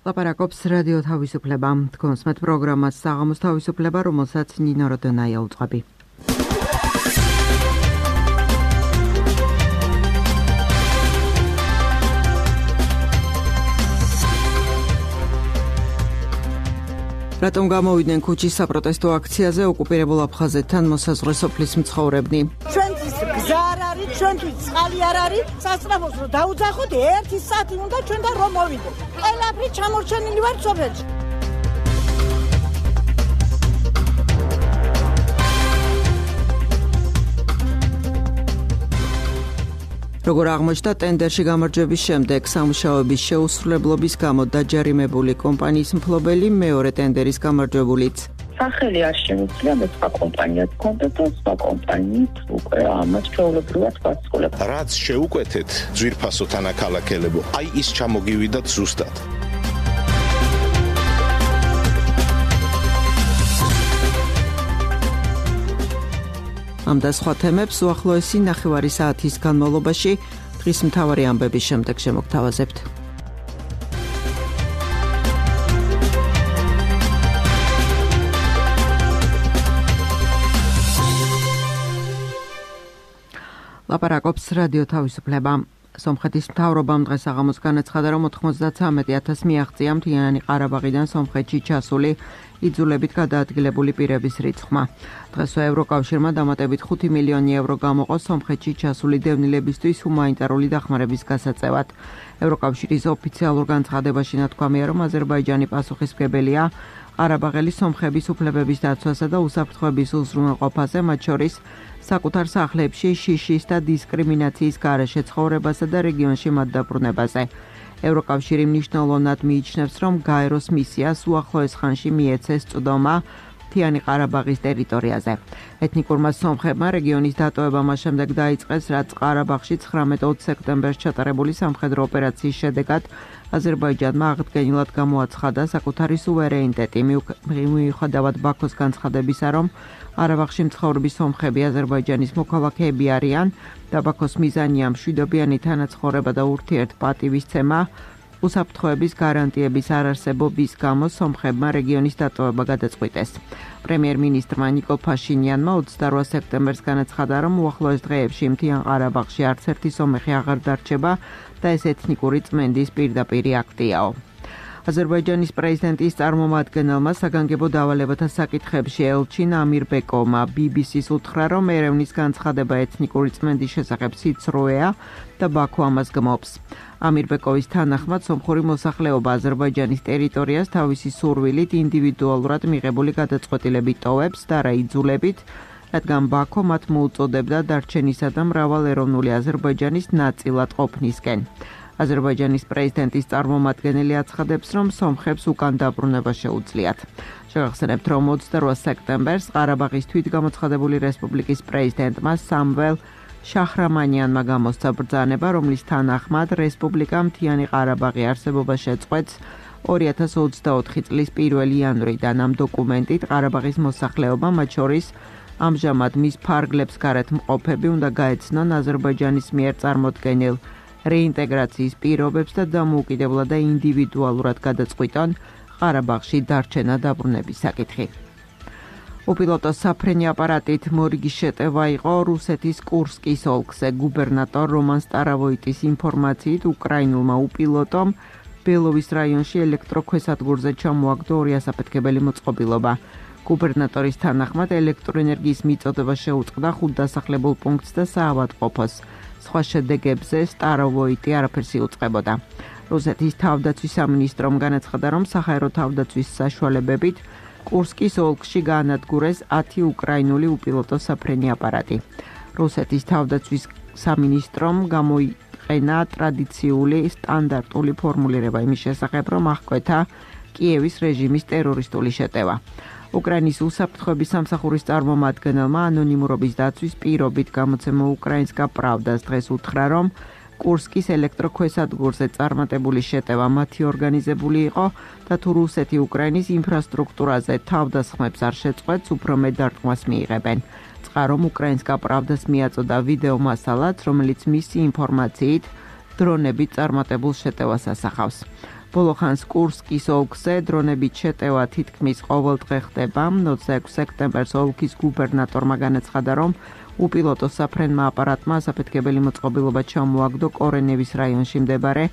ლაპარაკობს რადიო თავისუფლება. თქვენს met პროგრამას საღამოს თავისუფლება, რომელსაც ნინო როდონაია უწყობი. რატომ გამოვიდნენ ქუჩის საპროტესტო აქციაზე ოკუპირებულ აფხაზეთთან მოსაზღვრე სოფლის მცხოვრებნი? ჩვენთვის გზა არ არის, ჩვენთვის წყალი არ არის, სასწრაფოს რომ დაუძახოთ 1 საათი უნდა ჩვენთან რომ მოვიდეთ. ყველაფერი ჩამორჩენილი ვარ სოფელში. როგორ აღმოჩნდა ტენდერში გამარჯვების შემდეგ სამუშაოების შეუსრულებლობის გამო დაჯარიმებული კომპანიის მფლობელი მეორე ტენდერის გამარჯვებულიც. სახელი არ შემიძლია მე სხვა კომპანიას კონტაქტ და სხვა კომპანიით უკვე ამას ჩვეულებრივად ვასრულებ. რაც შეუკვეთეთ ძვირფასო თანაქალაქელებო, აი ის ჩამოგივიდათ ზუსტად. ამ და სხვა თემებს უახლოესი ნახევარი საათის განმავლობაში დღის მთავარი ამბების შემდეგ შემოგთავაზებთ. ლაპარაკობს რადიო თავისუფლება. სომხეთის მთავრობამ დღეს საღამოს განაცხადა, რომ 93,000 მიაღწია მთიანი ყარაბაღიდან სომხეთში ჩასული იძულებით გადაადგილებული პირების რიცხვმა. დღესვე ევროკავშირმა დამატებით 5 მილიონი ევრო გამოყო სომხეთში ჩასული დევნილებისთვის ჰუმანიტარული დახმარების გასაწევად. ევროკავშირის ოფიციალურ განცხადებაში ნათქვამია, რომ აზერბაიჯანი პასუხისმგებელია ყარაბაღელი სომხების უფლებების დაცვასა და უსაფრთხოების უზრუნველყოფაზე, მათ შორის საკუთარ სახლებში შიშის და დისკრიმინაციის გარეშე ცხოვრებასა და რეგიონში მათ დაბრუნებაზე. ევროკავშირი მნიშვნელოვნად მიიჩნევს, რომ გაეროს მისიას უახლოეს ხანში მიეცეს წვდომა მთიანი ყარაბაღის ტერიტორიაზე. ეთნიკურმა სომხებმა რეგიონის დატოვება მას შემდეგ დაიწყეს, რაც ყარაბაღში 19 სექტემბერს ჩატარებული სამხედრო ოპერაციის შედეგად აზერბაიჯანმა აღდგენილად გამოაცხადა საკუთარი სუვერენიტეტი, მიუხედავად ბაქოს განცხადებისა, რომ ყარაბაღში მცხოვრები სომხები აზერბაიჯანის მოქალაქეები არიან და ბაქოს მიზანია მშვიდობიანი თანაცხოვრება და ურთიერთპატივისცემა. უსაფრთხოების გარანტიების არარსებობის გამო სომხებმა რეგიონის დატოვება გადაწყვიტეს. პრემიერ-მინისტრმა ნიკოლ ფაშინიანმა 28 სექტემბერს განაცხადა, რომ უახლოეს დღეებში მთიან ყარაბაღში არც ერთი სომეხი აღარ დარჩება და ეს ეთნიკური წმენდის პირდაპირი აქტიაო. აზერბაიჯანის პრეზიდენტის წარმომადგენელმა საგანგებო დავალებათა საკითხებში ელჩინ ამირბეკოვმა BBC-ს უთხრა, რომ ერევნის განცხადება ეთნიკური წმენდის შესახებ სიცრუეა და ბაქო ამას გმობს. ამირბეკოვის თანახმად სომხური მოსახლეობა აზერბაიჯანის ტერიტორიას თავისი სურვილით ინდივიდუალურად მიღებული გადაწყვეტილებით ტოვებს და რა იძულებით, რადგან ბაქო მათ მოუწოდებდა დარჩენისა და მრავალეროვნული აზერბაიჯანის ნაწილად ყოფნისკენ. აზერბაიჯანის პრეზიდენტის წარმომადგენელი აცხადებს, რომ სომხებს უკან დაბრუნება შეუძლიათ. შევახსენებთ, რომ 28 სექტემბერს ყარაბაღის თვითგამოცხადებული რესპუბლიკის პრეზიდენტმა სამվել შაჰრამანიანმა გამოსცა ბრძანება, რომლის თანახმად რესპუბლიკა მთიანი ყარაბაღი არსებობა შეწყვეტს 2024 წლის 1 იანვრიდან. ამ დოკუმენტით ყარაბაღის მოსახლეობა, მათ შორის ამჟამად მის ფარგლებს გარეთ მყოფები, უნდა გაეცნონ აზერბაიჯანის მიერ წარმოდგენილ რეინტეგრაციის პირობებს და დამოუკიდებლად და ინდივიდუალურად გადაწყვიტონ ყარაბაღში დარჩენა დაბრუნების საკითხი. უპილოტო საფრენი აპარატით მორიგის შეტევა იყო რუსეთის კურსკის ოლქზე. გუბერნატორ რომან სტარავოიტის ინფორმაციით უკრაინულმა უპილოტომ ბელოვის რაიონში ელექტროქვესადგურზე ჩამოაგდო 2 ასაფეთქებელი მოწყობილობა. გუბერნატორის თანახმად ელექტროენერგიის მიწოდება შეუწყდა 5 დასახლებულ პუნქტს და საავადმყოფოს. სხვა შედეგებზე სტარავოიტი არაფერს იუწყებოდა. რუსეთის თავდაცვის სამინისტრომ განაცხადა, რომ საჰაერო თავდაცვის საშუალებებით კურსკის ოლქში გაანადგურეს 10 უკრაინული უპილოტო საფრენი აპარატი. რუსეთის თავდაცვის სამინისტრომ გამოიყენა ტრადიციული სტანდარტული ფორმულირება იმის შესახებ, რომ აღკვეთა კიევის რეჟიმის ტერორისტული შეტევა. უკრაინის უსაფრთხოების სამსახურის წარმომადგენელმა ანონიმურობის დაცვის პირობით გამოცემა უკრაინსკა პრავდას დღეს უთხრა, რომ კურსკის ელექტროქვესადგურზე წარმატებული შეტევა მათი ორგანიზებული იყო და თუ რუსეთი უკრაინის ინფრასტრუქტურაზე თავდასხმებს არ შეწყვეტს, უფრო მეტ დარტყმას მიიღებენ. წყარომ უკრაინსკა პრავდას მიაწოდა ვიდეო მასალაც, რომელიც მისი ინფორმაციით დრონებით წარმატებულ შეტევას ასახავს. ბოლო ხანს კურსკის ოლქზე დრონებით შეტევა თითქმის ყოველდღე ხდება. 26 სექტემბერს ოლქის გუბერნატორმა განაცხადა, რომ უპილოტო საფრენმა აპარატმა ასაფეთქებელი მოწყობილობა ჩამოაგდო კორენევის რაიონში მდებარე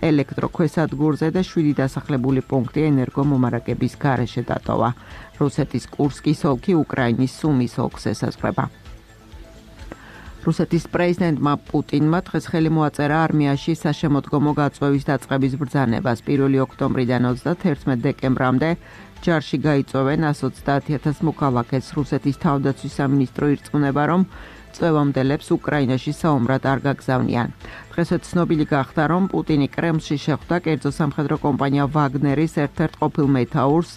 ელექტროქვესადგურზე და 7 დასახლებული პუნქტი ენერგომომარაგების გარეშე დატოვა. რუსეთის კურსკის ოლქი უკრაინის სუმის ოლქს ესაზღვრება. რუსეთის პრეზიდენტმა პუტინმა დღეს ხელი მოაწერა არმიაში საშემოდგომო გაწვევის დაწყების ბრძანებას. 1 ოქტომბრიდან 31 დეკემბრამდე ჯარში გაიწვევენ 130,000 მოქალაქეს. რუსეთის თავდაცვის სამინისტრო ირწმუნება, რომ წვევამდელებს უკრაინაში საომრად არ გაგზავნიან. დღესაც ცნობილი გახდა, რომ პუტინი კრემლში შეხვდა კერძო სამხედრო კომპანია ვაგნერის ერთ-ერთ ყოფილ მეთაურს,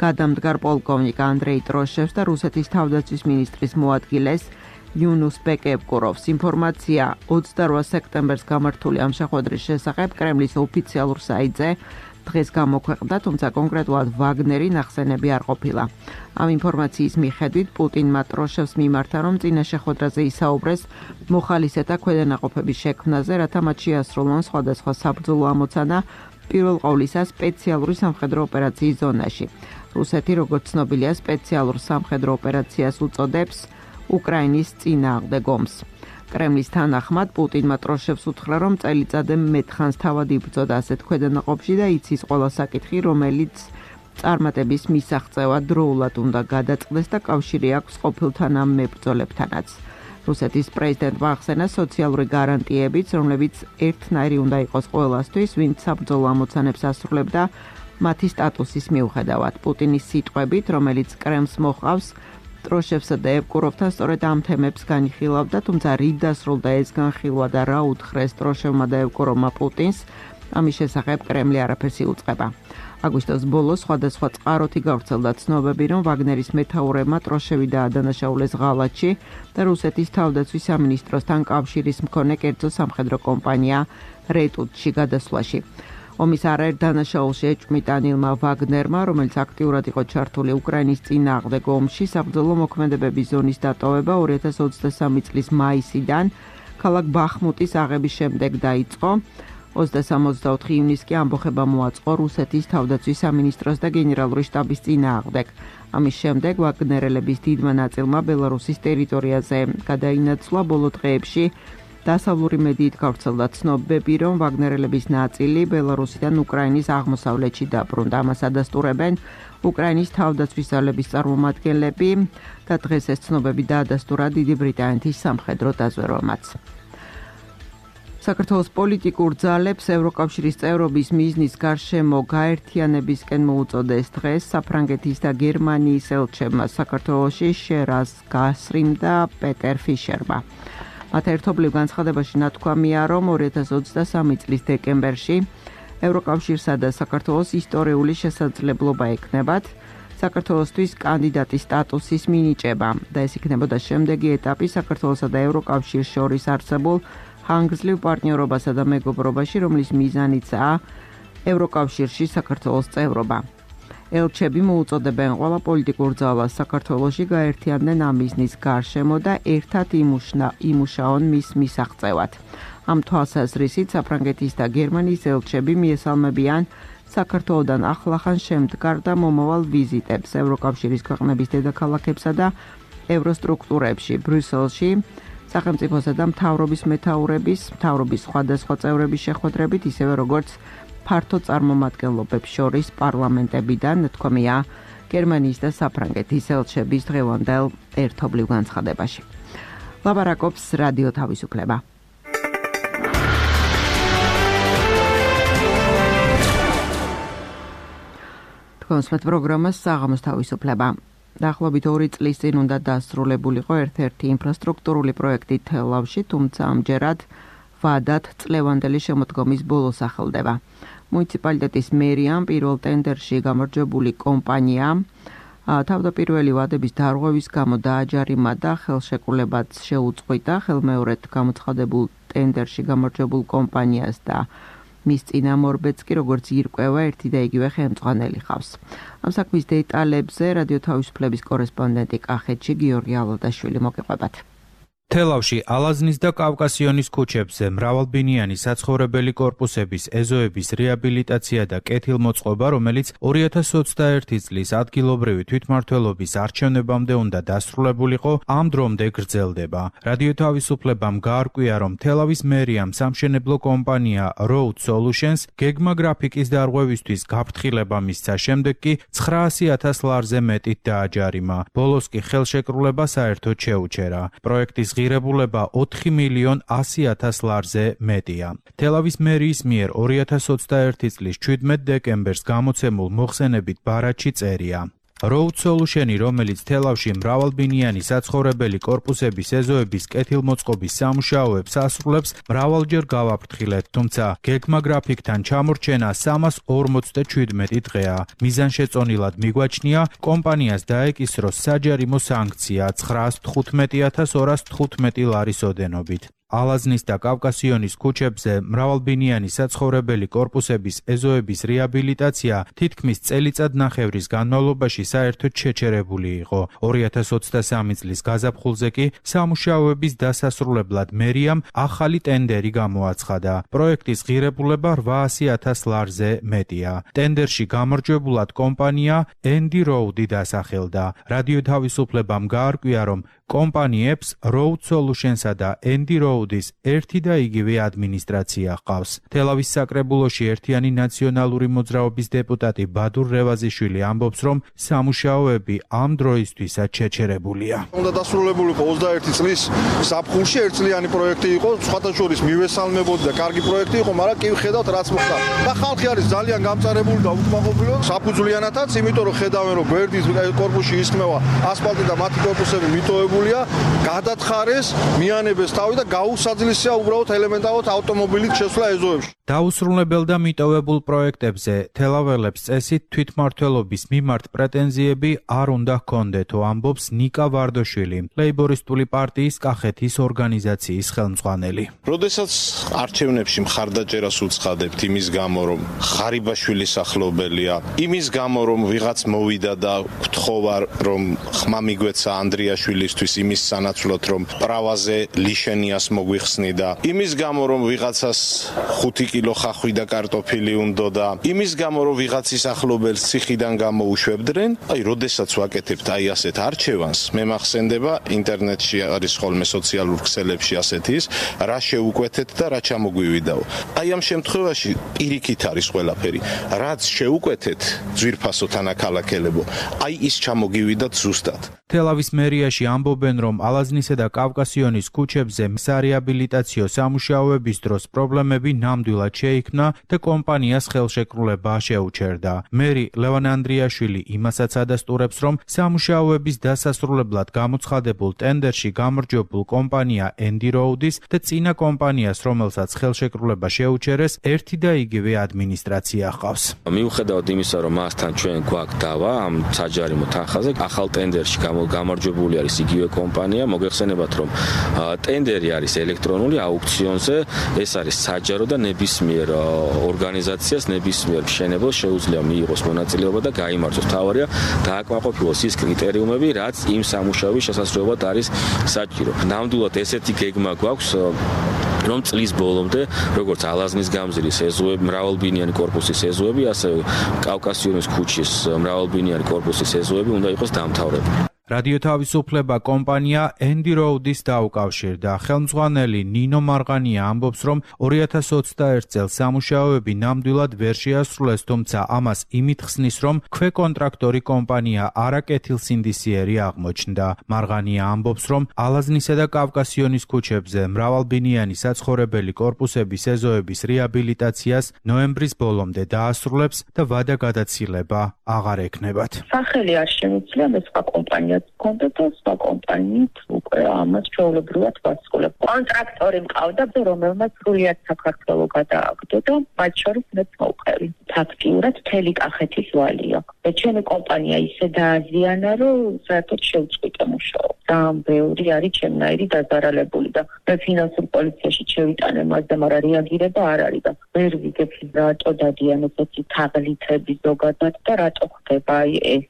გადამდგარ პოლკოვნიკ ანდრეი ტროშევს და რუსეთის თავდაცვის მინისტრის მოადგილეს იუნუს ბეკევკუროვს. ინფორმაცია 28 სექტემბერს გამართული ამ შეხვედრის შესახებ კრემლის ოფიციალურ საიტზე დღეს გამოქვეყნდა, თუმცა კონკრეტულად ვაგნერი ნახსენები არ ყოფილა. ამ ინფორმაციის მიხედვით პუტინმა ტროშევს მიმართა, რომ წინა შეხვედრაზე ისაუბრეს მოხალისეთა ქვედანაყოფების შექმნაზე, რათა მათ შეასრულონ სხვადასხვა საბრძოლო ამოცანა პირველ ყოვლისა სპეციალური სამხედრო ოპერაციის ზონაში. რუსეთი, როგორც ცნობილია, სპეციალურ სამხედრო ოპერაციას უწოდებს უკრაინის წინააღმდეგ ომს. კრემლის თანახმად პუტინმა ტროშევს უთხრა, რომ წელიწადზე მეტხანს თავად იბრძოდა ასეთ ქვედანაყოფში და იცის ყველა საკითხი, რომელიც წარმატების მისაღწევად დროულად უნდა გადაწყდეს და კავშირი აქვს ყოფილ თანამებრძოლებთანაც. რუსეთის პრეზიდენტმა ახსენა სოციალური გარანტიებიც, რომლებიც ერთნაირი უნდა იყოს ყველასთვის, ვინც საბრძოლო ამოცანებს ასრულებდა მათი სტატუსის მიუხედავად. პუტინის სიტყვებით, რომელიც კრემლს მოჰყავს, ტროშევსა და ევკუროვთან სწორედ ამ თემებს განიხილავდა, თუმცა რით დასრულდა ეს განხილვა და რა უთხრეს ტროშევმა და ევკუროვმა პუტინს, ამის შესახებ კრემლი არაფერს იუწყება. აგვისტოს ბოლოს სხვადასხვა წყაროთი გავრცელდა ცნობები, რომ ვაგნერის მეთაურებმა ტროშევი დაადანაშაულეს ღალატში და რუსეთის თავდაცვის სამინისტროსთან კავშირის მქონე კერძო სამხედრო კომპანია რეტუტში გადასვლაში. ომის არაერთ დანაშაულში ეჭვმიტა ნილმა ვაგნერმა, რომელიც აქტიურად იყო ჩართული უკრაინის წინააღმდეგ ომში, საბრძოლო მოქმედებების ზონის დატოვება 2023 წლის მაისიდან ქალაქ ბახმუტის აღების შემდეგ დაიწყო. 23-24 ივნისს კი ამბოხება მოაწყო რუსეთის თავდაცვის სამინისტროს და გენერალური შტაბის წინააღმდეგ. ამის შემდეგ ვაგნერელების დიდმა ნაწილმა ბელარუსის ტერიტორიაზე გადაინაცვლა. ბოლო დღეებში დასავლური მედიით გავრცელდა ცნობები, რომ ვაგნერელების ნაწილი ბელარუსიდან უკრაინის აღმოსავლეთში დაბრუნდა. ამას ადასტურებენ უკრაინის თავდაცვის ძალების წარმომადგენლები და დღეს ეს ცნობები დაადასტურა დიდი ბრიტანეთის სამხედრო დაზვერვამაც. საქართველოს პოლიტიკურ ძალებს ევროკავშირის წევრობის მიზნის გარშემო გაერთიანებისკენ მოუწოდეს დღეს საფრანგეთის და გერმანიის ელჩებმა საქართველოში შერას გასრიმ და პეტერ ფიშერმა. მათ ერთობლივ განცხადებაში ნათქვამია, რომ 2023 წლის დეკემბერში ევროკავშირსა და საქართველოს ისტორიული შესაძლებლობა ექნებათ საქართველოსთვის კანდიდატის სტატუსის მინიჭება და ეს იქნებოდა შემდეგი ეტაპი საქართველოსა და ევროკავშირს შორის არსებულ ხანგრძლივ პარტნიორობასა და მეგობრობაში, რომლის მიზანიცაა ევროკავშირში საქართველოს წევრობა. ელჩები მოუწოდებენ ყველა პოლიტიკურ ძალას საქართველოში გაერთიანდნენ ამ მიზნის გარშემო და ერთად იმუშაონ მის მისაღწევად. ამ თვალსაზრისით საფრანგეთის და გერმანიის ელჩები მიესალმებიან საქართველოდან ახლახან შემდგარ და მომავალ ვიზიტებს ევროკავშირის ქვეყნების დედაქალაქებსა და ევროსტრუქტურებში, ბრიუსელში, სახელმწიფოსა და მთავრობის მეთაურების, მთავრობის სხვადასხვა წევრების შეხვედრებით, ისევე როგორც ფართო წარმომადგენლობებს შორის პარლამენტებიდან, თქმია გერმანიის და საფრანგეთის ელჩების დღევანდელ ერთობლივ განცხადებაში. ლაპარაკობს რადიო თავისუფლება. თქვენს პროგრამას საღამოს თავისუფლება. დაახლოებით 2 წლის წინ უნდა დასრულებულიყო ერთ-ერთი ინფრასტრუქტურული პროექტი თელავში, თუმცა ამჯერად ვადად წლევანდელი შემოდგომის ბოლოს ახელდება. მუნიციპალიტეტის მერიამ პირველ ტენდერში გამარჯვებული კომპანია თავდაპირველი ვადების დარღვევის გამო დააჯარიმა და ხელშეკრულებაც შეუწყვიტა ხელმეორედ გამოცხადებულ ტენდერში გამარჯვებულ კომპანიას და მის წინამორბედს კი როგორც ირკვევა ერთი და იგივე ხელმძღვანელი ხავს. ამ საქმის დეტალებზე რადიო თავისუფლების კორესპონდენტი კახეთში გიორგი ალოდაშვილი მოგეყვებათ. თელავში ალაზნის და კავკასიონის ქუჩებზე მრავალბინიანი საცხოვრებელი კორპუსების ეზოების რეაბილიტაცია და კეთილმოწყობა, რომელიც 2021 წლის ადგილობრივი თვითმმართველობის არჩევნებამდე უნდა დასრულებულიყო, ამ დრომდე გრძელდება. რადიო თავისუფლებამ გაარკვია, რომ თელავის მერიამ სამშენებლო კომპანია Road Solutions გეგმა გრაფიკის დარღვევისთვის გაფრთხილება მისცა, შემდეგ კი 900,000 ლარზე მეტით დააჯარიმა. ბოლოს კი ხელშეკრულება საერთოდ შეუჩერა. პროექტის ღირებულება 4,100,000 ლარზე მეტია. თელავის მერიის მიერ 2021 წლის 17 დეკემბერს გამოცემულ მოხსენებით ბარათში წერია. Road Solution-ი, რომელიც თელავში მრავალბინიანი საცხოვრებელი კორპუსების ეზოების კეთილმოწყობის სამუშაოებს ასრულებს, მრავალჯერ გავაფრთხილეთ, თუმცა გეგმა გრაფიკთან ჩამორჩენა 347 დღეა. მიზანშეწონილად მიგვაჩნია კომპანიას დაეკისროს საჯარიმო სანქცია 915,215 ლარის ოდენობით. ალაზნის და კავკასიონის ქუჩებზე მრავალბინიანი საცხოვრებელი კორპუსების ეზოების რეაბილიტაცია თითქმის წელიწადნახევრის განმავლობაში საერთოდ შეჩერებული იყო. 2023 წლის გაზაფხულზე კი სამუშაოების დასასრულებლად მერიამ ახალი ტენდერი გამოაცხადა. პროექტის ღირებულება 800,000 ლარზე მეტია. ტენდერში გამარჯვებულად კომპანია Andy Road-ი დასახელდა. რადიო თავისუფლებამ გაარკვია, რომ კომპანიებს Road Solutions-ა და Andy Road-ის ერთი და იგივე ადმინისტრაცია ჰყავს. თელავის საკრებულოში ერთიანი ნაციონალური მოძრაობის დეპუტატი ბადურ რევაზიშვილი ამბობს, რომ სამუშაოები ამ დროისთვისაც შეჩერებულია. უნდა დასრულებულიყო 21 წლის საფხულში ერთწლიანი პროექტი იყო, სხვათა შორის მივესალმებოდი და კარგი პროექტი იყო, მაგრამ კი ხედავთ რაც მოხდა. და ხალხი არის ძალიან გამწარებული და უკმაყოფილო საფუძვლიანათაც, იმიტომ რომ ხედავენ რომ გვერდის კორპუსში ისხმევა ასფალტი და მათი კორპუსები მიტოვებული გადათხარეს, მიანებეს თავი და გაუსაძლისია უბრალოდ ელემენტარულად ავტომობილით შესვლა ეზოებში. დაუსრულებელ და მიტოვებულ პროექტებზე თელაველებს წესით თვითმმართველობის მიმართ პრეტენზიები არ უნდა ჰქონდეთო, ამბობს ნიკა ვარდოშვილი, ლეიბორისტული პარტიის კახეთის ორგანიზაციის ხელმძღვანელი. როდესაც არჩევნებში მხარდაჭერას უცხადებთ იმის გამო, რომ ღარიბაშვილის ახლობელია, იმის გამო, რომ ვიღაც მოვიდა და გთხოვა, რომ ხმა მიგვეცა ანდრიაშვილისთვის იმის სანაცვლოდ, რომ პრავაზე ლიშენიას მოგვიხსნი და იმის გამო, რომ ვიღაცას 5 კილო ხახვი და კარტოფილი უნდა და იმის გამო, რომ ვიღაცის ახლობელს ციხიდან გამოუშვებდნენ, როდესაც ვაკეთებთ ასეთ არჩევანს, მე მახსენდება ინტერნეტში არის ხოლმე სოციალურ ქსელებში ასეთის, რა შეუკვეთეთ და რა ჩამოგვივიდაო. ამ შემთხვევაში პირიქით არის ყველაფერი. რაც შეუკვეთეთ, ძვირფასო თანაქალაქელებო, ის ჩამოგივიდათ ზუსტად. თელავის მერიაში ამბობენ, რომ ალაზნისა და კავკასიონის ქუჩებზე სარეაბილიტაციო სამუშაოების დროს პრობლემები ნამდვილად შეიქმნა და კომპანიას ხელშეკრულება შეუჩერდა. მერი ლევან ანდრიაშვილი იმასაც ადასტურებს, რომ სამუშაოების დასასრულებლად გამოცხადებულ ტენდერში გამარჯვებულ კომპანია Andy Road-ის და წინა კომპანიას, რომელსაც ხელშეკრულება შეუჩერეს, ერთი და იგივე ადმინისტრაცია ჰყავს. მიუხედავად იმისა, რომ მასთან ჩვენ გვაქვს დავა ამ საჯარიმო თანხაზე, ახალ ტენდერში გამარჯვებული არის იგივე კომპანია. მოგეხსენებათ, რომ ტენდერი არის ელექტრონული აუქციონზე, ეს არის საჯარო და ნებისმიერ ორგანიზაციას, ნებისმიერ მშენებელს შეუძლია მიიღოს მონაწილეობა და გაიმარჯვოს. თავარია დააკმაყოფილოს ის კრიტერიუმები, რაც იმ სამუშაოების შესასრულებლად არის საჭირო. ნამდვილად ესეთი გეგმა გვაქვს, რომ წლის ბოლომდე, როგორც ალაზნის გამზირის ეზოები, მრავალბინიანი კორპუსის ეზოები, ასევე კავკასიონის ქუჩის მრავალბინიანი კორპუსის ეზოები უნდა იყოს დამთავრებული. რადიო თავისუფლება კომპანია Andy Road-ის დაუკავშირდა. ხელმძღვანელი ნინო მარღანია ამბობს, რომ 2021 წელს სამუშაოები ნამდვილად ვერ შეასრულეს, თუმცა ამას იმით ხსნის, რომ ქვეკონტრაქტორი კომპანია არაკეთილსინდისიერი აღმოჩნდა. მარღანია ამბობს, რომ ალაზნისა და კავკასიონის ქუჩებზე მრავალბინიანი საცხოვრებელი კორპუსების ეზოების რეაბილიტაციას ნოემბრის ბოლომდე დაასრულებს და ვადა გადაცილება აღარ ექნებათ. სახელი არ შემიძლია მე სხვა კომპანია კონდა და სხვა კომპანიით უკვე ამას ჩვეულებრივად ვასრულებ. კონტრაქტორი მყავდა, რომელმაც სრულიად საქართველო გადააგდო და მათ შორის მეც მოვყევი. ფაქტიურად მთელი კახეთის ვალი აქვს. და ჩემი კომპანია ისე დააზიანა, რომ საერთოდ შევწყვიტე მუშაობა. ძალიან ბევრი არის ჩემნაირი დაზარალებული და მე ფინანსურ პოლიციაში შევიტანე მას და მაგრამ რეაგირება არ არის და ვერ ვიგებ რატო დადიან ესეთი თაღლითები ზოგადად და რატო ხდება ეს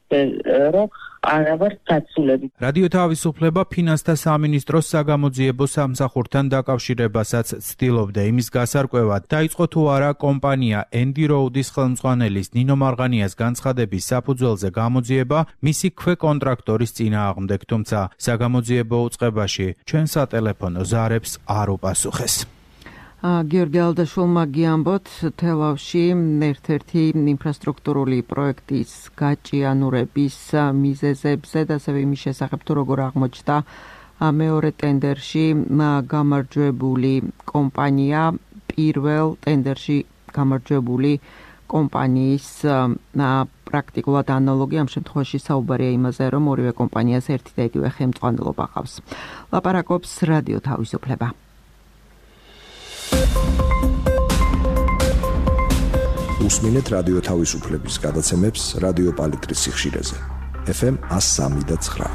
რომ არა ვარ დაცულები. რადიო თავისუფლება ფინანსთა სამინისტროს საგამოძიებო სამსახურთან დაკავშირებასაც ცდილობდა იმის გასარკვევად, დაიწყო თუ არა კომპანია Andy Road-ის ხელმძღვანელის ნინო მარღანიას განცხადების საფუძველზე გამოძიება მისი ქვეკონტრაქტორის წინააღმდეგ, თუმცა საგამოძიებო უწყებაში ჩვენ სატელეფონო ზარებს არ უპასუხეს. გიორგი ალდაშვილმა გიამბოთ, თელავში ერთ-ერთი ინფრასტრუქტურული პროექტის გაჭიანურების მიზეზებზე და ასევე იმის შესახებ თუ როგორ აღმოჩნდა მეორე ტენდერში გამარჯვებული კომპანია პირველ ტენდერში გამარჯვებული კომპანიის პრაქტიკულად ანალოგი, ამ შემთხვევაში საუბარია იმაზე, რომ ორივე კომპანიას ერთი და იგივე ხელმძღვანელობა ჰყავს. ლაპარაკობს რადიო თავისუფლება. უსმინეთ რადიო თავისუფლების გადაცემებს რადიო პალიტრის სიხშირეზე. FM 103.9.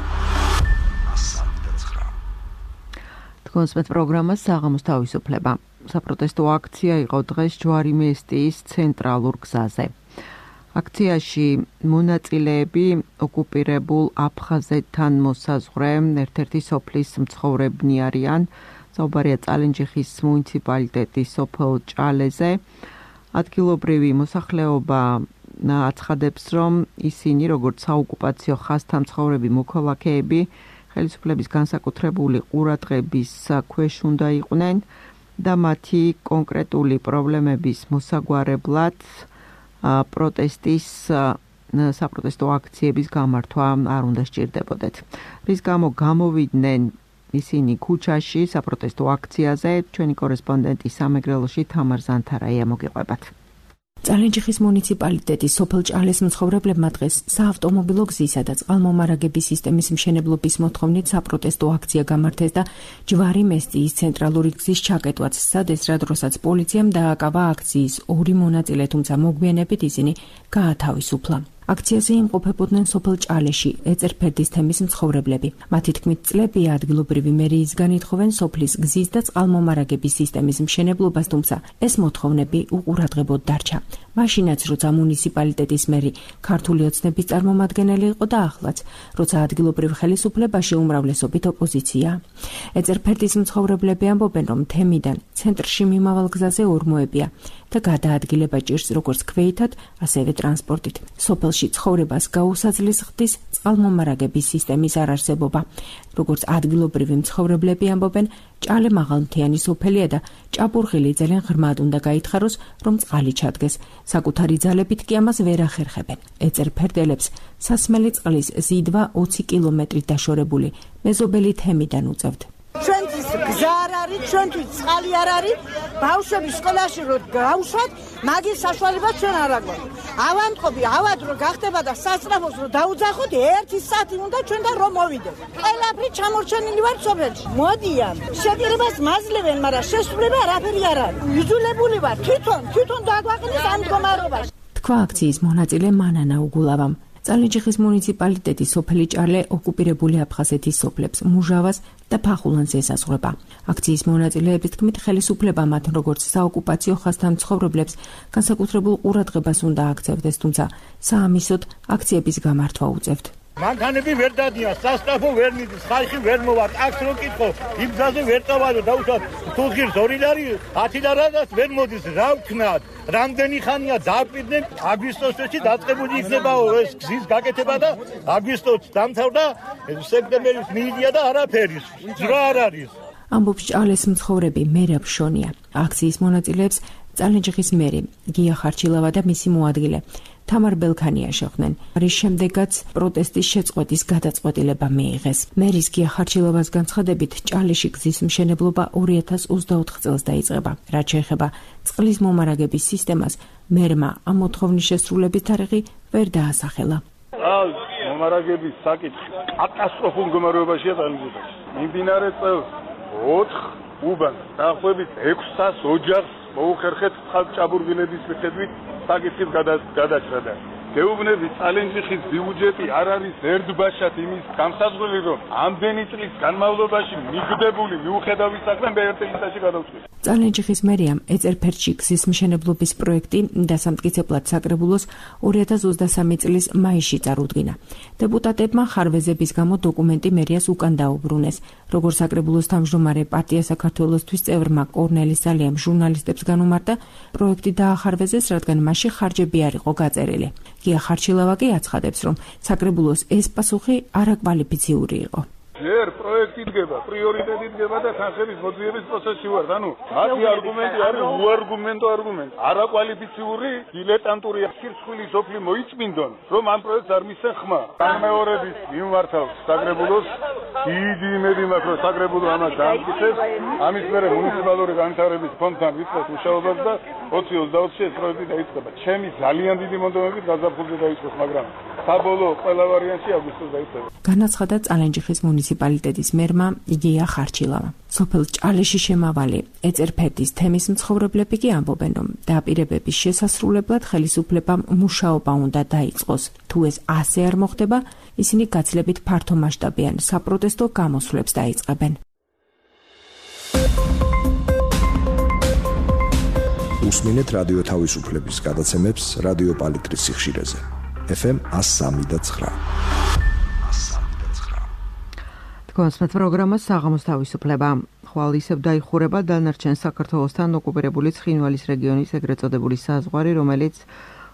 თქვენს პროგრამას საღამოს თავისუფლება. საპროტესტო აქცია იყო დღეს ჯვარი-მესტიის ცენტრალურ გზაზე. აქციაში მონაწილეები ოკუპირებულ აფხაზეთთან მოსაზღვრე ერთ-ერთი სოფლის მცხოვრებნი არიან. საუბარია წალენჯიხის მუნიციპალიტეტის სოფელ ჭალეზე. ადგილობრივი მოსახლეობა აცხადებს, რომ ისინი, როგორც საოკუპაციო ხაზთა მცხოვრები მოქალაქეები, ხელისუფლების განსაკუთრებული ყურადღების ქვეშ უნდა იყვნენ და მათი კონკრეტული პრობლემების მოსაგვარებლად საპროტესტო აქციების გამართვა არ უნდა სჭირდებოდეთ. რის გამო გამოვიდნენ ისინი ქუჩაში საპროტესტო აქციაზე, ჩვენი კორესპონდენტი სამეგრელოში თამარ ზანთარაია მოგიყვებათ. წალენჯიხის მუნიციპალიტეტის სოფელ ჭალეს მცხოვრებლებმა დღეს საავტომობილო გზისა და წყალმომარაგების სისტემის მშენებლობის მოთხოვნით საპროტესტო აქცია გამართეს და ჯვარი-მესტიის ცენტრალური გზის ჩაკეტვაც სცადეს, რა დროსაც პოლიციამ დააკავა აქციის ორი მონაწილე, თუმცა მოგვიანებით ისინი გაათავისუფლა. აქციაზე იმყოფებოდნენ სოფელ ჭალეში ეწერფერდის თემის მცხოვრებლები. მათი თქმით, წლებია ადგილობრივი მერიისგან ითხოვენ სოფლის გზის და წყალმომარაგების სისტემის მშენებლობას, თუმცა ეს მოთხოვნები უყურადღებოდ დარჩა. მაშინაც, როცა მუნიციპალიტეტის მერი ქართული ოცნების წარმომადგენელი იყო და ახლაც, როცა ადგილობრივ ხელისუფლებაში უმრავლესობით ოპოზიცია. ეწერფერდის მცხოვრებლები ამბობენ, რომ თემიდან ცენტრში მიმავალ გზაზე ორმოებია და გადაადგილება ჭირს როგორც ქვეითად, ასევე ტრანსპორტით. სოფელში ცხოვრებას გაუსაძლეს ხდის წყალმომარაგების სისტემის არარსებობა. როგორც ადგილობრივი მცხოვრებლები ამბობენ, ჭალე მაღალმთიანი სოფელია და ჭაბურღილი ძალიან ღრმად უნდა გაითხაროს, რომ წყალი ჩადგეს. საკუთარი ძალებით კი ამას ვერ ახერხებენ. ეწერფერდელებს სასმელი წყლის ზიდვა 20 კილომეტრით დაშორებული მეზობელი თემიდან უწევთ. ჩვენთვის გზა არ არის, ჩვენთვის წყალი არ არის, ბავშვები სკოლაში რო გავშვათ, მაგის საშუალება ჩვენ არ აგვაქვს. ავანტყოფი, ავად რო გახდება და სასწრაფოს რო დაუძახოთ, 1 საათი უნდა ჩვენ და რომ მოვიდეთ. ყველაფერი ჩამორჩენილი ვარ სოფელში. მოდიან, შეკრებას მაძლევენ, მაგრამ შესრულება არაფერი არ არის. იძულებული ვარ თვითონ დაგვაყენეს ამ მდგომარეობაში. თქვა აქციის მონაწილე მანანა უგულავამ. წალენჯიხის მუნიციპალიტეტის სოფელი ჭალე ოკუპირებული აფხაზეთის სოფლებს მუჟავას და ფახულანს ესაზღვრება. აქციის მონაწილეების თქმით, ხელისუფლება მათ როგორც საოკუპაციო ხაზთან მცხოვრებლებს განსაკუთრებულ ყურადღებას უნდა აქცევდეს, თუმცა საამისოდ აქციების გამართვა უწევთ. მანქანები ვერ დადიან, სასწრაფო ვერ მიდის, ხალხი ვერ მოვარ, აქს რო კითხო, იმ გზაზე ვერ წავადო, დაუშვათ, თუ ღირს 2 ლარი, 10 ლარადაც ვერ მოდის, რა ვქნათ? რამდენი ხანია დააკვირდნენ, აგვისტოსში დაწყებული იქნებაო ეს გზის გაკეთება და აგვისტოს დამთავრდა, სექტემბერის მიიდია და არაფერი, ძრა არ არის. ამბობს ჭალეს მცხოვრები მერაბ შონია. აქციის მონაწილეებს წალენჯიხის მერი გია ხარჩილავა და მისი მოადგილე თამარ ბელქანია შეხვდნენ. რის შემდეგაც პროტესტის შეწყვეტის გადაწყვეტილება მიიღეს. მერის გია ხარჩილავას განცხადებით, ჭალეში გზის მშენებლობა 2024 წელს დაიწყება. რაც შეეხება წყლის მომარაგების სისტემას, მერმა ამ მოთხოვნის შესრულების თარიღი ვერ დაასახელა. მომარაგების საკითხი კატასტროფულ მდგომარეობაშია წალენჯიხში. მიმდინარე წელს 4 უბანს დაახლოებით 600 ოჯახს მოუხერხეთ წყალჭაბურღილების მიხედვით საკითხის გადაჭრა და გეუბნები წალენჯიხის ბიუჯეტი არ არის ერთბაშად იმის გამსაზღვრელი, რომ ამდენი წლის განმავლობაში მიგდებული მიუხედავი საქმე მე-1 წელიწადში გადავწყვიტე. წალენჯიხის მერიამ ეწერფერტში გზის მშენებლობის პროექტი დასამტკიცებლად საკრებულოს 2023 წლის მაისში წარუდგინა. დეპუტატებმა ხარვეზების გამო დოკუმენტი მერიას უკან დაუბრუნეს. როგორც საკრებულოს თავმჯდომარე პარტია საქართველოსთვის წევრმა კორნელის ზალიამ ჟურნალისტებს განუმარტა, პროექტი დაახარვეზეს, რადგან მასში ხარჯები არ იყო გაწერილი. გია ხარჩილავა კი აცხადებს, რომ საკრებულოს ეს პასუხი არაკვალიფიციური იყო. ჯერ პროექტი დგება, პრიორიტეტი დგება და თანხების მოძიების პროცესში ვართ. ანუ მათი არგუმენტი არის უარგუმენტო არგუმენტი. არაკვალიფიციური, დილეტანტური ხირცხვილი სოფლი მოიწმინდონ, რომ ამ პროექტს არ მისცენ ხმა. განმეორებით მიმართავს საკრებულოს, დიდი იმედი მაქვს, რომ საკრებულო ამას დაამტკიცებს. ამის მერე მუნიციპალური განვითარების ფონდთან ვიწყებს მუშაობას და 20-24-ში ეს პროექტი დაიწყება. ჩემი ძალიან დიდი მონდომებით გაზაფხულზე დაიწყოს, მაგრამ საბოლოო ყველა ვარიანტში აგვისტოს დაიწყება. განაცხადა წალენჯიხის მუნიციპალიტეტის მერმა იგია ხარჩილავა. სოფელ ჭალეში შემავალი ეწერფერტის თემის მცხოვრებლები კი ამბობენ, რომ დაპირებების შესასრულებლად ხელისუფლებამ მუშაობა უნდა დაიწყოს. თუ ეს ასე არ მოხდება, ისინი გაცილებით ფართომასშტაბიან საპროტესტო გამოსვლებს დაიწყებენ. უსმინეთ რადიო თავისუფლების გადაცემებს რადიო პალიტრის სიხშირეზე. FM 103.9. კონსმეთ პროგრამა საღამოს თავისუფლება. ხვალ ისევ დაიხურება დანარჩენ საქართველოსთან ოკუპირებული ცხინვალის რეგიონის ეგრეთ წოდებული საზღვარი, რომელიც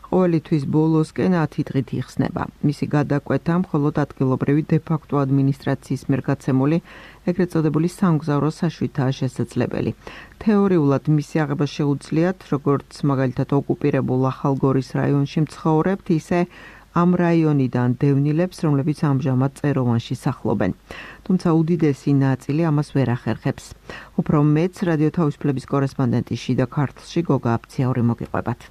ყოველი თვის ბოლოსკენ 10 დღით იხსნება. მისი გადაკვეთა მხოლოდ ადგილობრივი დე-ფაქტო ადმინისტრაციის მიერ გაცემული ეგრეთ წოდებული სამგზავრო საშვითაა შესაძლებელი. თეორიულად მისი აღება შეუძლიათ, როგორც მაგალითად ოკუპირებულ ახალგორის რაიონში მცხოვრებთ, ისე ამ რაიონიდან დევნილებს, რომლებიც ამჟამად წეროვანში სახლობენ. თუმცა უდიდესი ნაწილი ამას ვერ ახერხებს. უფრო მეც რადიო თავისუფლების კორესპონდენტი შიდა ქართლში გოგა აფციაური მოგიყვებათ.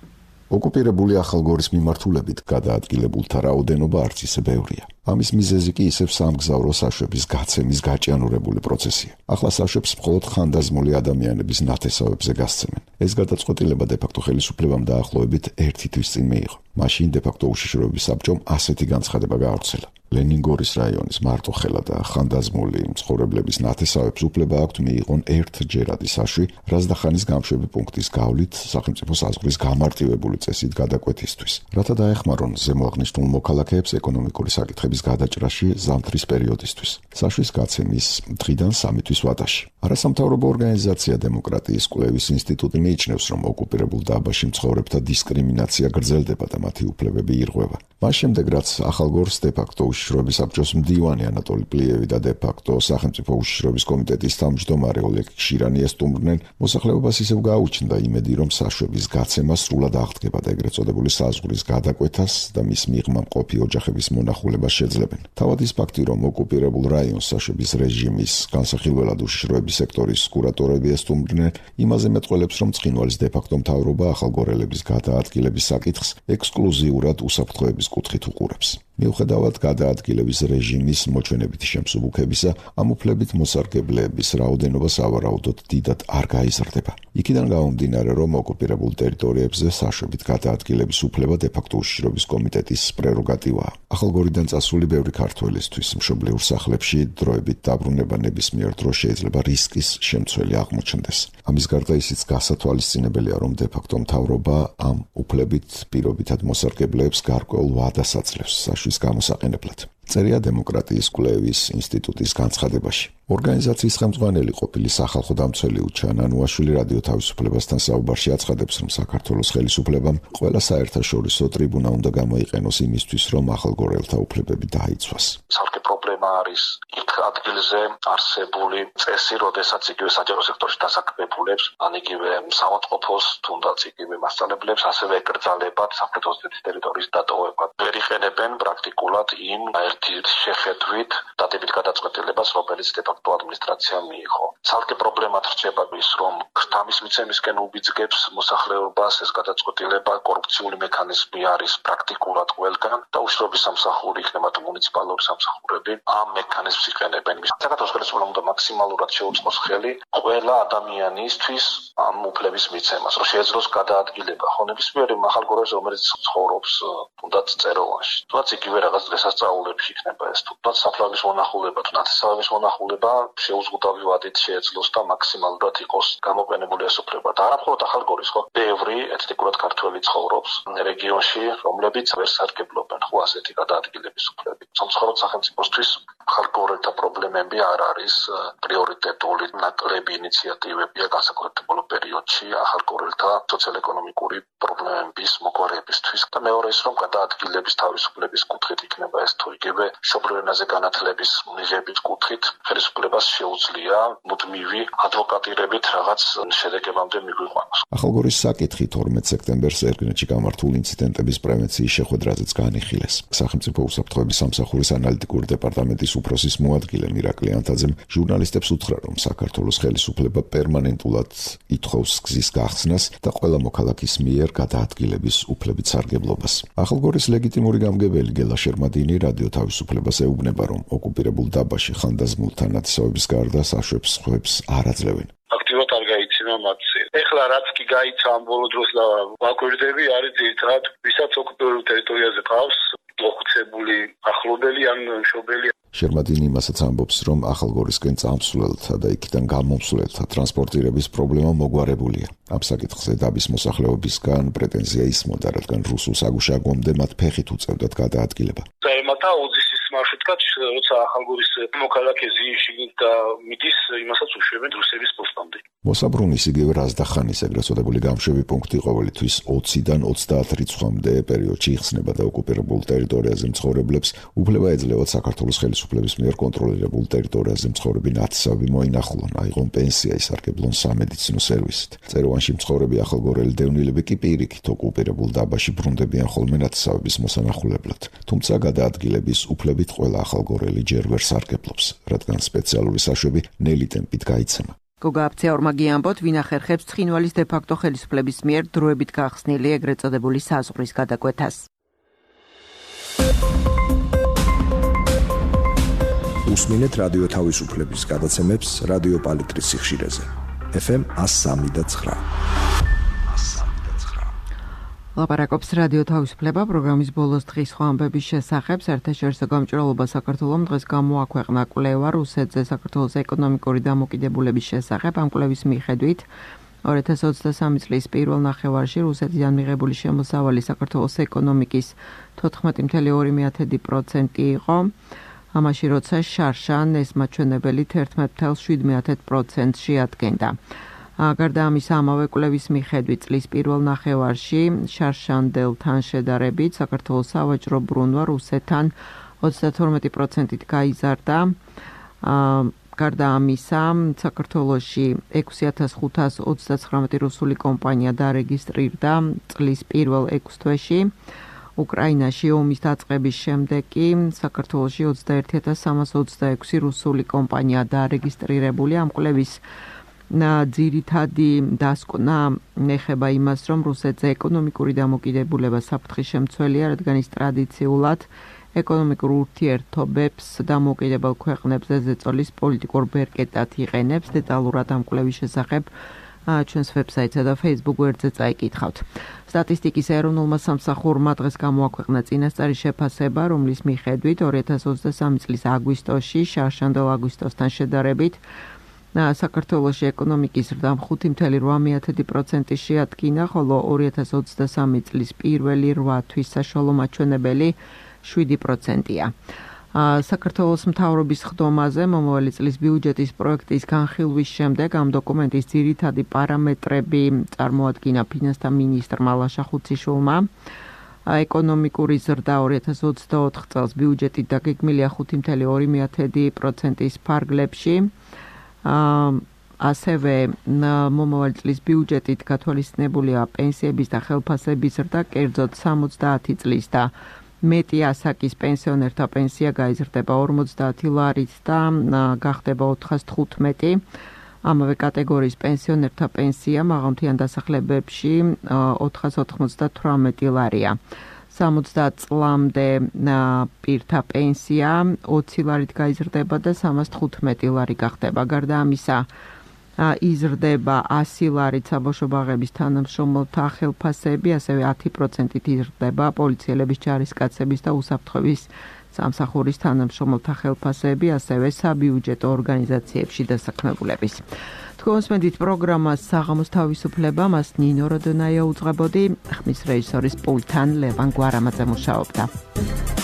ოკუპირებული ახალგორის მიმართულებით გადაადგილებულთა რაოდენობა არც ისე ბევრია. ამის მიზეზი კი ისევ სამგზავრო საშვების გაცემის გაჭიანურებული პროცესია. ახლა საშვებს მხოლოდ ხანდაზმული ადამიანების ნათესავებზე გასცემენ. ეს გადაწყვეტილება დე-ფაქტო ხელისუფლებამ დაახლოებით 1 თვის წინ მიიღო. მაშინ დე-ფაქტო უშიშროების საბჭომ ასეთი განცხადება გაავრცელა. ლენინგორის რაიონის მარტოხელა და ხანდაზმული მცხოვრებლების ნათესავებს უფლება აქვთ მიიღონ ერთჯერადი საშვი, რაზდახანის გამშვები პუნქტის გავლით სახელმწიფო საზღვრის გამარტივებული წესით გადაკვეთისთვის, რათა დაეხმარონ ზემოაღნიშნულ მოქალაქეებს ეკონომიკური საკითხების გადაჭრაში ზამთრის პერიოდისთვის. საშვის გაცემის დღიდან 3 თვის ვადაში. არასამთავრობო ორგანიზაცია დემოკრატიის კვლევის ინსტიტუტი მიიჩნევს, რომ ოკუპირებულ დაბაში მცხოვრებთა დისკრიმინაცია გრძელდება და მათი უფლებები ირღვევა. მას შემდეგ, რაც ახალგორს დე-ფაქტო უშიშროების საბჭოს მდივანი ანატოლი პლიევი და დე-ფაქტო სახელმწიფო უშიშროების კომიტეტის თავმჯდომარე ოლეგ შირანი ესტუმრნენ, მოსახლეობას ისევ გაუჩნდა იმედი, რომ საშვების გაცემა სრულად აღდგება და ეგრეთ წოდებული საზღვრის გადაკვეთას და მის მიღმა მყოფი ოჯახების მონახულებას შეძლებენ. თავად ის ფაქტი, რომ ოკუპირებულ რაიონს საშვების რეჟიმის განსახილველად უშიშროების სექტორის კურატორები ესტუმრნენ, იმაზე მეტყველებს, რომ ცხინვალის დე-ფაქტო მთავრობა ახალგორელების გადაადგილების საკითხს ექსკლუზიურად უსაფრთხოების კუთხით უყურებს. მიუხედავად გადაადგილების რეჟიმის მოჩვენებითი შემსუბუქებისა, ამ უფლებით მოსარგებლეების რაოდენობა სავარაუდოდ დიდად არ გაიზრდება. იქიდან გამომდინარე, რომ ოკუპირებულ ტერიტორიებზე საშვებით გადაადგილების უფლება დე-ფაქტო უშიშროების კომიტეტის პრეროგატივაა. ახალგორიდან წასული ბევრი ქართველისთვის მშობლიურ სახლებში დროებით დაბრუნება ნებისმიერ დროს შეიძლება რისკის შემცველი აღმოჩნდეს. ამის გარდა ისიც გასათვალისწინებელია, რომ დე-ფაქტო მთავრობა ამ უფლებით პირობითად მოსარგებლეებს გარკვეულ ვადას აძლევს საშვის გამოსაყენებლად. წერია დემოკრატიის კვლევის ინსტიტუტის განცხადებაში. ორგანიზაციის ხელმძღვანელი ყოფილი სახალხო დამცველი უჩან ანუაშვილი რადიო თავისუფლებასთან საუბარში აცხადებს, რომ საქართველოს ხელისუფლებამ ყველა საერთაშორისო ტრიბუნა უნდა გამოიყენოს იმისთვის, რომ ახალგორელთა უფლებები დაიცვას. Საერთო პრობლემა არის იქ ადგილზე არსებული წესი, როდესაც იგივე საჯარო სექტორში დასაქმებულებს, ან იგივე საავადმყოფოს, თუნდაც იგივე მასწავლებლებს ასევე ეკრძალებათ სამხრეთ ოსეთის ტერიტორიის დატოვება. ვერ იყენებენ პრაქტიკულად იმ ერთი შეხედვით დადებით გადაწყვეტილებას, რომელიც დე-ფაქტო ადმინისტრაციამ მიიღო. Ცალკე პრობლემად რჩება ის, რომ ქრთამის მიცემისკენ უბიძგებს მოსახლეობას ეს გადაწყვეტილება, კორუფციული მექანიზმი არის პრაქტიკულად ყველგან და უშრობის სამსახური იქნება თუ მუნიციპალური სამსახურები ამ მექანიზმს იყენებენ. საქართველოს ხელისუფლებამ უნდა მაქსიმალურად შეუწყოს ხელი ყველა ადამიანისთვის ამ უფლების მიცემას, რომ შეეძლოს გადაადგილება ხონებისმიერი ახალგოროვის, რომელიც ცხოვრობს თუნდაც წეროვანში. თუნდაც იგივე რაღაც დღესასწაულებში იქნება ეს, თუნდაც საფლავის მონახულება, თუ ნათესავების მონახულება შეუზღუდავი ვადით შეეძლოს და მაქსიმალურად იყოს გამოყენებული ეს უფლება. და არა მხოლოდ ახალგორის, ხო, ბევრი ეთნიკურად ქართველი ცხოვრობს რეგიონში, რომლებიც ვერ სარგებლობენ ხო ასეთი გადაადგილების უფლებით. სამწუხაროდ სახელმწიფოსთვის ახალგორელთა პრობლემები არ არის პრიორიტეტული, ნაკლები ინიციატივებია განსაკუთრებულ პერიოდში ახალგორელთა სოციალ-ეკონომიკური პრობლემების მოგვარებისთვის. და მეორე ის, რომ გადაადგილების თავისუფლების კუთხით იქნება ეს თუ იგივე მშობლიურ ენაზე განათლების მიღების კუთხით ხელისუფლებას შეუძლია მუდმივი ადვოკატირებით რაღაც შედეგებამდე მიგვიყვანოს. ახალგორის საკითხი 12 სექტემბერს ერგნეთში გამართულ ინციდენტების პრევენციის შეხვედრაზეც განიხილეს. სახელმწიფო უსაფრთხოების სამსახურის ანალიტიკური დეპარტამენტის უფროსის მოადგილე მირაკლი ანთაძემ ჟურნალისტებს უთხრა, რომ საქართველოს ხელისუფლება პერმანენტულად ითხოვს გზის გახსნას და ყველა მოქალაქის მიერ გადაადგილების უფლებით სარგებლობას. ახალგორის ლეგიტიმური გამგებელი გელა შერმადინი რადიო თავისუფლებას ეუბნება, რომ ოკუპირებულ დაბაში ხანდაზმულთა ნათესავების გარდა საშვებს სხვებს არ აძლევენ. აქტიურად არ გაიცინა მათზე. ეხლა რაც კი გაიცა ამ ბოლო დროს და ვაკვირდები არის ძირითადად ვისაც ოკუპირებულ ტერიტორიაზე ყავს მოხუცებული ახლობელი ან მშობელი. შერმადინი იმასაც ამბობს, რომ ახალგორისკენ წამსვლელთა და იქიდან გამომსვლელთა ტრანსპორტირების პრობლემა მოგვარებულია. ამ საკითხზე დაბის მოსახლეობისგან პრეტენზია ისმოდა, რადგან რუსულ საგუშაგომდე მათ ფეხით უწევდათ გადაადგილება. წაემატა უძისის მარშრუტად, როცა ახალგორის მოქალაქე ზიში და მიდის, იმასაც უშვებენ რუსების პოსტამდე. მოსაბრუნის იგივე რაზდახანის ეგრეთ წოდებული გამშვები პუნქტი ყოველთვის 20-დან 30 რიცხვამდე პერიოდში იხსნება და ოკუპირებულ ტერიტორიაზე მცხოვრებლებს უფლება ეძლევათ საქართველოს ხელისუფლების მიერ კონტროლირებულ ტერიტორიაზე მცხოვრები ნათესავები მოინახულონ, აიღონ პენსია, ისარგებლონ სამედიცინო სერვისით. წეროვანში მცხოვრები ახალგორელი დევნილები კი პირიქით ოკუპირებულ დაბაში ბრუნდებიან ხოლმე ნათესავების მოსანახულებლად. თუმცა გადაადგილების უფლებით ყველა ახალგორელი ჯერ ვერ სარგებლობს, რადგან სპეციალური საშვები ნელი ტემპით გაიცემა. გოგა აფციაურმა გიამბოთ, ვინ ახერხებს ცხინვალის დე-ფაქტო ხელისუფლების მიერ დროებით გახსნილი ეგრეთ წოდებული საზღვრის გადაკვეთას. უსმინეთ რადიო თავისუფლების გადაცემებს რადიო პალიტრის სიხშირეზე. FM 103.9. ლაპარაკობს რადიო თავისუფლება პროგრამის ბოლოს დღის სხვა ამბების შესახებ. საერთაშორისო გამჭვირვალობა საქართველომ დღეს გამოაქვეყნა კვლევა რუსეთზე საქართველოს ეკონომიკური დამოკიდებულების შესახებ. ამ კვლევის მიხედვით 2023 წლის პირველ ნახევარში რუსეთიდან მიღებული შემოსავალი საქართველოს ეკონომიკის 14.2% იყო. ამაში როცა შარშან ეს მაჩვენებელი 11.7% შეადგენდა. გარდა ამისა, ამავე კვლევის მიხედვით წლის პირველ ნახევარში შარშანდელთან შედარებით საქართველოს სავაჭრო ბრუნვა რუსეთთან 32%-ით გაიზარდა. გარდა ამისა, საქართველოში 6529 რუსული კომპანია დარეგისტრირდა წლის პირველ 6 თვეში. უკრაინაში ომის დაწყების შემდეგ კი საქართველოში 21326 რუსული კომპანია დარეგისტრირებული. ამ კვლევის ძირითადი დასკვნა ეხება იმას, რომ რუსეთზე ეკონომიკური დამოკიდებულება საფრთხის შემცველია, რადგან ის ტრადიციულად ეკონომიკურ ურთიერთობებს დამოუკიდებელ ქვეყნებზე ზეწოლის პოლიტიკურ ბერკეტად იყენებს. დეტალურად ამ კვლევის შესახებ ჩვენს ვებსაიტსა და Facebook გვერდზე წაიკითხავთ. სტატისტიკის ეროვნულმა სამსახურმა დღეს გამოაქვეყნა წინასწარი შეფასება, რომლის მიხედვით 2023 წლის აგვისტოში შარშანდელ აგვისტოსთან შედარებით საქართველოში ეკონომიკის ზრდამ 5.8% შეადგინა, ხოლო 2023 წლის პირველი 8 თვის საშუალო მაჩვენებელი 7%-ია. საქართველოს მთავრობის ხდომაზე მომავალი წლის ბიუჯეტის პროექტის განხილვის შემდეგ ამ დოკუმენტის ძირითადი პარამეტრები წარმოადგინა ფინანსთა მინისტრმა ლაშა ხუციშვილმა. ეკონომიკური ზრდა 2024 წელს ბიუჯეტით დაგეგმილია 5.2%-ის ფარგლებში. ასევე მომავალი წლის ბიუჯეტით გათვალისწინებულია პენსიების და ხელფასების ზრდა, კერძოდ 70 წლის და მეტი ასაკის პენსიონერთა პენსია გაიზრდება 50 ლარით და გახდება 415. ამავე კატეგორიის პენსიონერთა პენსია მაღალმთიან დასახლებებში 498 ლარია. 60 წლამდე პირთა პენსია 20 ლარით გაიზრდება და 315 ლარი გახდება. გარდა ამისა, იზრდება 100 ლარით საბავშვო ბაღების თანამშრომელთა ხელფასები, ასევე 10%-ით იზრდება პოლიციელების ჯარისკაცების და უსაფრთხოების სამსახურის თანამშრომელთა ხელფასები, ასევე საბიუჯეტო ორგანიზაციებში დასაქმებულების. თქვენსმენდით პროგრამას საღამოს თავისუფლება, მას ნინო როდონაია უძღვებოდი, ხმის რეჟისორის პულტთან ლევან გვარამაძე მუშაობდა.